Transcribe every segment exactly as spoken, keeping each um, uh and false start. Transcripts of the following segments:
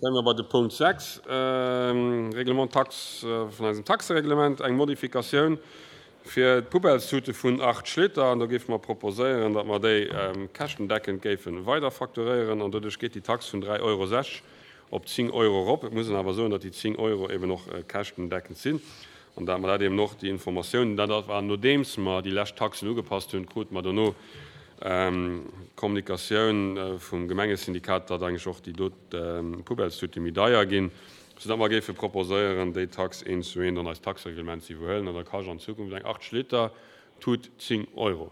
Kéime mer bei de Punkt sechs, Règlement taxe vun eisem Taxereglement, eng Modifikatioun fir d'Poubellstute vun Art Schlitter. An do géife mer proposéieren, datt mer déi käschtendeckend géife weiderfacturéieren. An doduerch geet déi Tax vun dräi Euro sechzeg op zéng Euro erop. Et muss een awer soen, datt déi zéng Euro eben och käschtendeckend sinn. An datt mer dat eben och, déi Informatioun, dat war nodeems mer déi lescht Taxen ugepasst hunn, krute mer dono Kommunikatioun vum Gemengesyndikat, datt eigentlech och déi do Poubellstute méi deier ginn, soudatt mer géife proposéieren, déi Tax eent zu eent an eist Taxereglement ze iwwerhuelen. An da kascht an Zukunft eng achtzeg Liter Tut zéng Euro.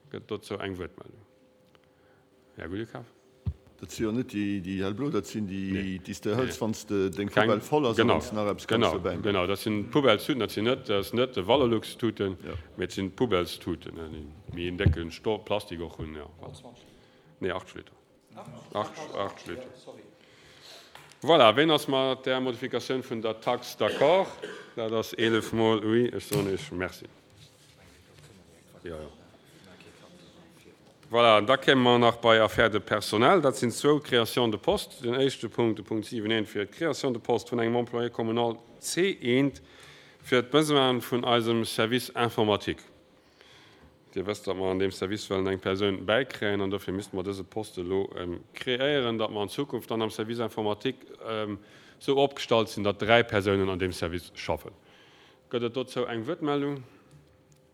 Gëtt dozou eng Wuertmeldung? Här Gudekaf. Dat si jo net déi hellblo, dat sinn déi, déi s de hëls, wann s de deng Poubelle voll ass a wann s de nach eppes kanns dobäi maachen. Genau, dat sinn d'Poubellstuten, dat sinn net, dat ass net de Valorlux-Tuten, mee et sinn d'Poubellstuten, déi méi en décke Stoff, Plastik och hunn. Nee, acht Liter. Acht, acht Liter. Voilà, ween ass mat där Modifikatioun vun der Tax d'accord? Dat ass eelef mol oui. Ech soen Iech Merci. Jo, jo. Voilà, an da kéime mer nach bei Affaires de personnel. Dat sinn zwou Créations de poste. Den éischte Punkt, de Punkt siwen eent, fir d'Création de poste vun engem Employé communal C eent fir d'Besoine vun eisem Service informatique. Dir wësst, datt mer an deem Service wëllen eng Persoun bäikréien an dofir misste mer dëse Poste elo kreéieren, datt mer an Zukunft dann am Service informatique esou opgestallt sinn, datt dräi Persounen an deem Service schaffen. Gëtt et dozou eng Wuertmeldung?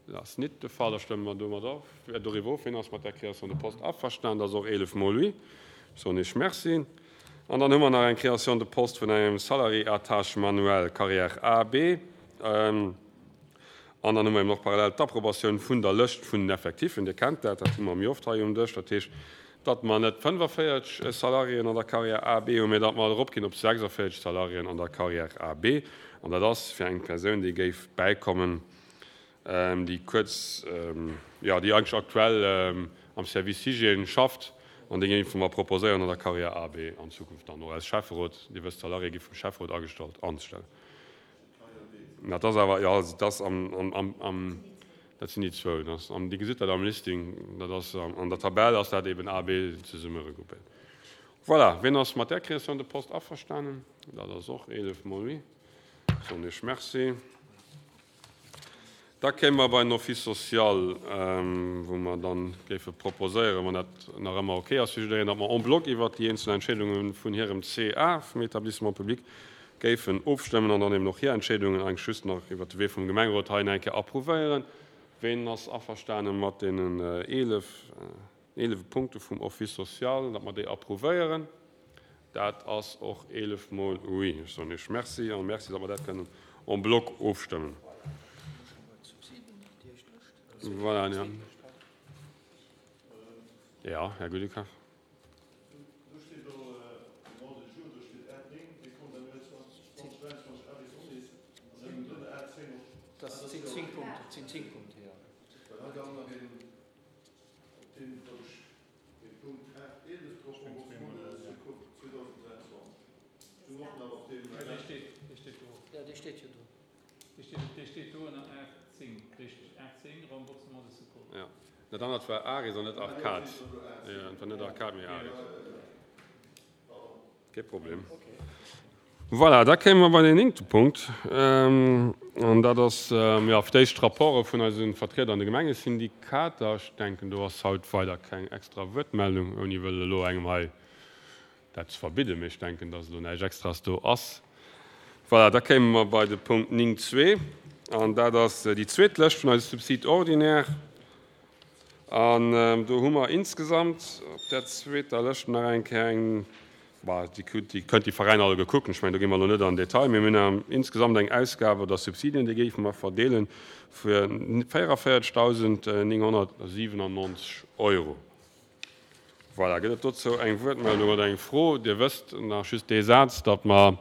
Dat ass nit de Fall. Da stëmme mer domat of, doriwwer of. Wien ass mat där Création de poste averstanen? Dat ass och eelef mol oui. Soen ech Merci. An dann hu mer nach eng Création de poste vun engem Salarié à tâche manuelle, Carrière A, B. An dann hu mer eben och parallel d'Approbatioun vun der Lëscht vun den Effektiffen. Dir kennt dat, dat hu mer méi oft hei um Dësch. Dat heescht, datt mer net fënnefavierzeg Salariéen an der Carrière A, B hunn, mee datt mer eropginn op sechsundvierzeg Salariéen an der Carrière A, B. An dat ass fir eng Persoun, déi géif bäikommen, déi kuerz, jo, déi eigentlech aktuell am Service Hygiène schafft an déi géife mer proposéieren an der Carrière A, B an Zukunft dann och als Schäfferot, Dir wësst, d'Salarié gi vum Schäfferot agestallt, anzestellen. Dat ass awer, jo, also dat ass am, am, am, am, dat sinn déi zwou, dat ass am, Dir gesitt dat am Listing, dat ass an der Tabell ass dat eben A, B zesumme regroupéiert. Voilà, wien ass mat där Création de poste averstanen? Dat ass och eelef mol oui. Soen ech Merci. Da kéime mer bei den Office social, wou mer dann géife proposéieren, wann dat nach ëmmer ok ass fir jiddereen, datt mer en bloc iwwert déi eenzel Entscheedunge vun hirem C A, vum Établissement public, géifen ofstëmmen an dann eben och hir Entscheedungen eigentlech just nach iwwert de Wee vum Gemengerot hei eng Kéier approuvéieren. Ween ass averstane mat deenen eelef, eelef Punkte vum Office social, datt mer déi approuvéieren? Dat ass och eelef mol oui. Ech soen Iech Merci a Merci, datt mer dat kënnen en bloc ofstëmmen. Voilà, ja. Ja, Här Gudekaf. Do steet do Demande du jour, do steet A néng, Décompte annuel zweitausenddräiundzwanzeg A bis Onis, an dann drënner A zéng och. Dat sinn zéng Punkte, dat sinn zéng Punkte, jo. Well hei dann nach een, op deem, wat ech, dee Punkt A eelef drop, Remboursement de secours zweitausenddräiundzwanzeg. Ech hunn och nach op deem. Dee steet, dee steet do. Jo, dee steet jo do. Dee steet, dee steet do ënner A zéng, richteg, A zéng, Remboursement de secours. Ja, dat anert war Aris an net Arcade. Ja, et war net Arcade, mee Aris. Kee Problem. Voilà, da kéime mer bei den néngte Punkt. An dat ass, jo, fir d'éischt d'Rapporte vun eise Vertrieder an de Gemengesyndikater. Ech denken, do ass haut weider keng extra Wuertmeldung, ouni wëll elo engem hei dat ze verbidden, mee ech denken, dass elo näischt Extraes do ass. Voilà, da kéime mer bei de Punkt néng zwee, an dat ass déi zweet Lëscht vun eise Subsides ordinaires. An do hu mer insgesamt op där zweeter Lëscht nach eng Kéier eng, bah, déi kënnt, déi kënnt déi Veräiner alleguer kucken, ech mengen, do gi mer elo net an den Detail, mee mir hunn insgesamt eng Ausgab oder Subsidien, déi géife mer verdeelen fir véierundvéierzegdausendnénghonnertsiwenundneunzeg Euro. Voilà, gëtt et dozou eng Wuertmeldung oder eng Fro? Dir wësst nach just dee Saz, datt mer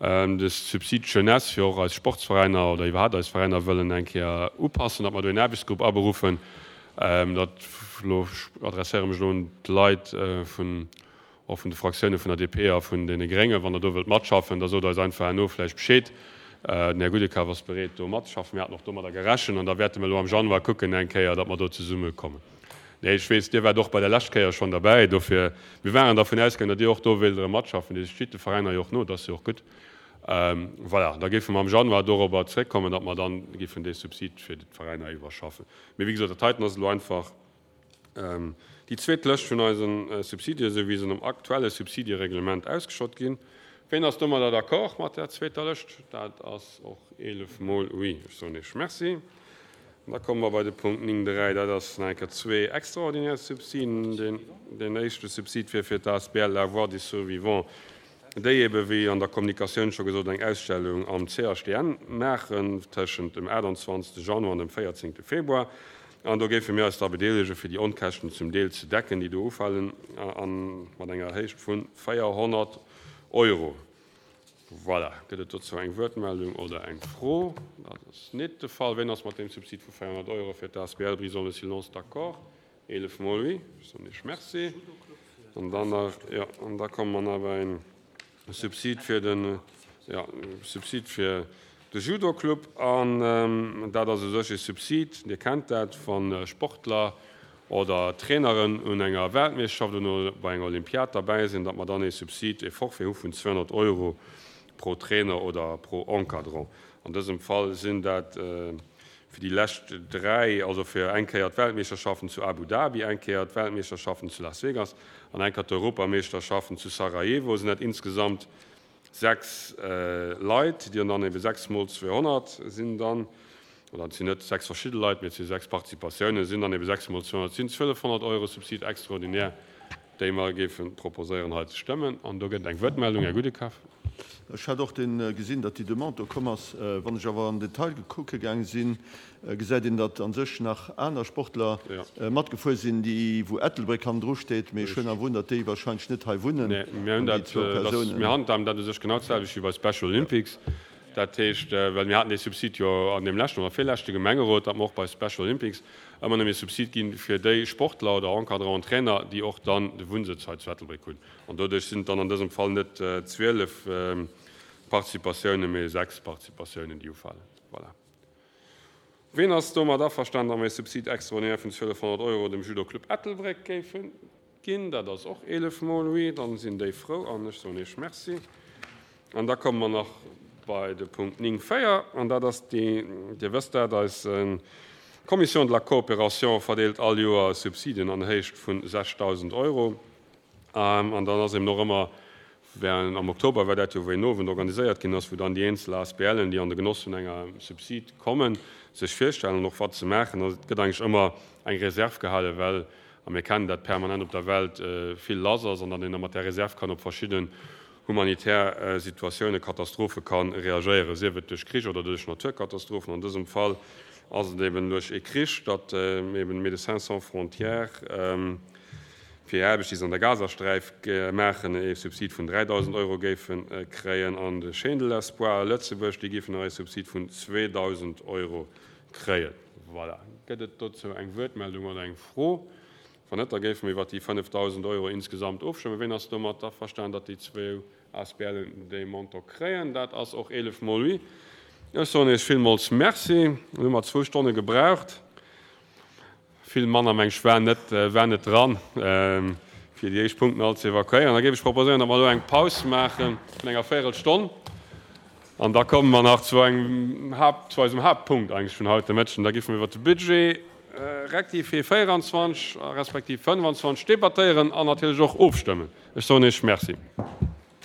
de Subside Jeunesse fir och eis Sportsveräiner oder iwwerhaapt eis Veräiner wëllen eng Kéier upassen, datt mer do een Aarbechtsgrupp aberuffen. Dat elo adresséiere mech elo un d'Leit vun, och vun de Fraktioune vun der D P a vun deene Gréngen. Wann der do wëllt matschaffen, da sot eis einfach herno vläicht Bescheed. Den Här Gudekaf ass bereet do matzeschaffen. Mir haten och domadder gerechent an da wäerte mer elo am Januar kucken eng Kéier, datt mer do zesummekommen. Nee, ech weess, Dir waart och bei der lescht Kéier schonn derbäi. Dofir, mir waren dervun ausgaangen, datt Dir och do wéilt erëm matschaffen. Dir stitt de Veräiner jo och no, dat ass jo och gutt. Voilà, da géife mer am Januar dorobber zréckkommen, datt mer dann géifen dee Subsid fir d'Veräiner iwwerschaffen. Mee wéi gesot, dat heiten ass elo einfach déi zweet Lëscht vun eise Subsidien, esou wéi se nom aktuelle Subsidiereglement ausgeschott ginn. Ween ass domadder d'accord mat där zweeter Lëscht? Dat ass och eelef Mol oui. Ech soen Iech Merci. An da komme mer bei de Punkt néng dräi. Dat ass nach eng Kéier zwee extraordinär Subsiden. Deen, deen éischte Subsid wier fir d'A S B L La Voix des Survivants, déi ebe wéi an der Kommunikatioun scho gesot eng Ausstellung am C H D N maachen tëschent dem aachtanzwanzegste Januar an dem véierzéngte Februar. An do géife mir eis da bedeelegen, fir déi Onkäschten zum Deel ze decken, déi do ufalen, a mat enger Héicht vu véierhonnert Euro. Voilà. Gëtt et dozou eng Wuertmeldung oder eng Fro? Dat ass net de Fall. Wien ass mat deem Subsid vu véierhonnert Euro fir d'A S B L Brisons le silence d'accord? Eelef Mol oui. Ech soen Iech Merci. An dann nach, jo, an da komme mer nach bei en Subsid fir den, jo, Subsid fir de Judo-Club. An dat ass u sech e Subsid, Dir kennt dat, wa Sportler oder Traineren un enger Weltmeeschterschaft oder bei enger Olympiad derbäi sinn, datt mer dann ee Subsid, ee Forfait hu vun zweehonnert Euro pro Trainer oder pro Encadrant. An dësem Fall sinn dat fir déi lescht dräi, also fir eng Kéier d'Weltmeeschterschaften zu Abu Dhabi, eng Kéier d'Weltmeeschterschaften zu Las Vegas an eng Kéier d'Europameeschterschaften zu Sarajevo, sinn dat insgesamt sechs Leit, déi dann ebe sechs mol zweehonnert sinn dann, oder et sinn net sechs verschidde Leit, mee et si sechs Participatiounen, sinn dann ebe sechs mol zweehonnert, sinn zwielefhonnert Euro Subsid extraordinaire, déi mer géife proposéieren hei ze stëmmen. An do gëtt et eng Wuertmeldung, Här Gudekaf. Ech hat och gesinn, datt déi Demande do komm ass. Wann ech awer am Detail kucke gaange sinn, gesäit een, datt a sech nach aner Sportler matgefuer sinn, déi wou Ettelbréck hannendru steet. Mee ech hunn awer wunn, datt déi wahrscheinlech net hei wunnen. Nee, mir hunn dat, mir handhaben dat u sech genau d'selwecht wéi bei Special Olympics. Dat heescht, well mir haten dee Subsid jo an deem leschten oder virleschte Gemengerot, datt mer och bei Special Olympics ëmmer nëmme e Subsid gi fir déi Sportler oder Encadranten, Trainer, déi och dann de Wunnsëtz hei zu Ettelbréck hunn. An doduerch sinn et dann an dësem Fall net zwielef Participatiounen, mee sechs Participatiounen, déi ufalen. Voilà. Ween ass domat averstanen, datt mer e Subsid extraordinaire vun zwielefhonnert Euro dem Judo Club Ettelbréck géife ginn? Dat ass och eelef mol oui. Dann sinn déi frou an ech soen Iech Merci. An da komme mer nach bei de Punkt néng véier, an dat ass déi, Dir wësst dat, eis Commission de la coopération verdeelt all Joer Subsiden an Héicht vu sechsdausend Euro. An dann ass eben och ëmmer, während am Oktober war dat jo, wou een Owend organiséiert ginn ass, wou dann déi eenzel A S B Len, déi an de Genoss vun enger Subsid kommen, sech virstellen an och wat se maachen. Also et gëtt eigentlech ëmmer eng Reserv gehalen, well, a mir kennen dat, permanent op der Welt vill lass ass an datt een da mat där Reserv kann op verschidden humanitär Situatiounen, Katastrophe ka reagéieren, sief et duerch Krich oder duerch Naturkatastrophen. An dësem Fall ass et eben duerch ee Krich, datt eben Médecins Sans Frontières fir hir Aarbecht, déi se an der Gazasträif maachen, ee Subsid vun dräidausend Euro géife kréien an de Chaîne de l'Espoir Lëtzebuerg, déi géifen nach ee Subsid vun zweedausend Euro kréien. Voilà. Gëtt et dozou eng Wuertmeldung oder eng Fro? Wann net, da géife mir iwwert déi fënnefdausend Euro insgesamt ofstëmmen. Ween ass domat averstanen, datt déi zwou A S B Len dee Montant kréien? Dat ass och eelef mol oui. Ech soen Iech villmools Merci. Elo hu mer zwou Stonne gebraucht. Vill manner, meng ech, war net, war net dran, fir déi éischt Punkten all ze evakuéieren. Da géif ech proposéieren, datt mer elo eng Paus maache vun enger Véierelstonn. An da komme mer nach zu engem Haupt, zu eisem Hauptpunkt eigentlech vun haut de Mëtteg. Da géife mer iwwert de Budget rectifié véieranzwanzeg respektiv fënnfanzwanzeg debattéieren an natierlech och ofstëmmen. Ech soen Iech Merci.